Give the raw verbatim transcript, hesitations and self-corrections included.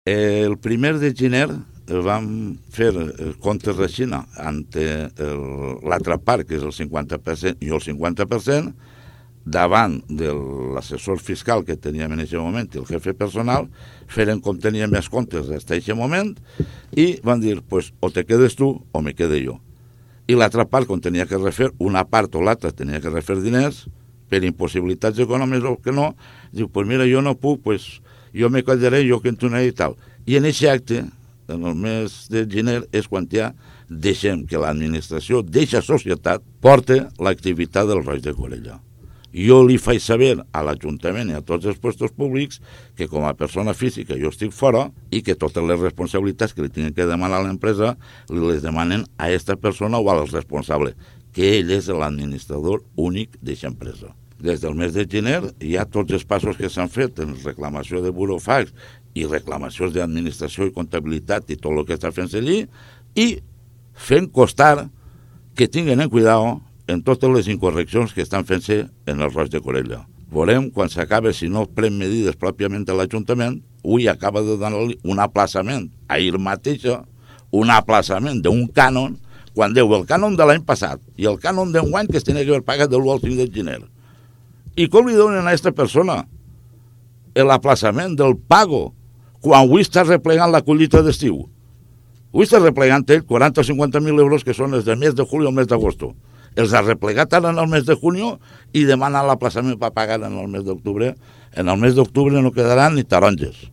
El primer de gener vam fer comptes de Xina ante l'altra part, que és el cinquanta per cent, i el cinquanta per cent, davant de l'assessor fiscal que teníem en aquest moment i el jefe personal, feren com teníem més comptes des d'aquest moment i van dir, pues, o te quedes tu o me quede jo. I l'altra part, quan tenia que refer, una part o l'altra tenia que refer diners, per impossibilitats econòmiques o que no, diu, pues mira, jo no puc, pues jo me quedaré, jo que entonaré i tal. I en aquest acte, en el mes de gener, és quan ja deixem que l'administració d'aquesta societat porte l'activitat del Roig de Corella. Jo li faig saber a l'Ajuntament i a tots els puestos públics que com a persona física jo estic fora i que totes les responsabilitats que li tenen que demanar a l'empresa li les demanen a aquesta persona o al responsable, que ell és l'administrador únic d'aquesta empresa. Des del mes de gener hi ha tots els passos que s'han fet en reclamació de burofax i reclamacions d'administració i comptabilitat i tot el que està fent-se allí i fent costar que tinguen en cuidado en totes les incorreccions que estan fent-se en el Roig de Corella. Veurem quan s'acabe, si no pren medides pròpiament a l'Ajuntament, avui acaba de donar-li un aplaçament a ell mateixa, un aplaçament d'un cànon, quan deu el cànon de l'any passat i el cànon d'enguany que es tenia que haver pagat de l'u al cinc de gener. I com li donen a aquesta persona l'aplaçament del pago quan avui està replegant la collita d'estiu? Avui està replegant ell quaranta o cinquanta mil euros que són els del mes de julio al mes d'agosto. Els ha replegat ara en el mes de junio i demana l'aplaçament per pagar en el mes d'octubre. En el mes d'octubre no quedaran ni taronges.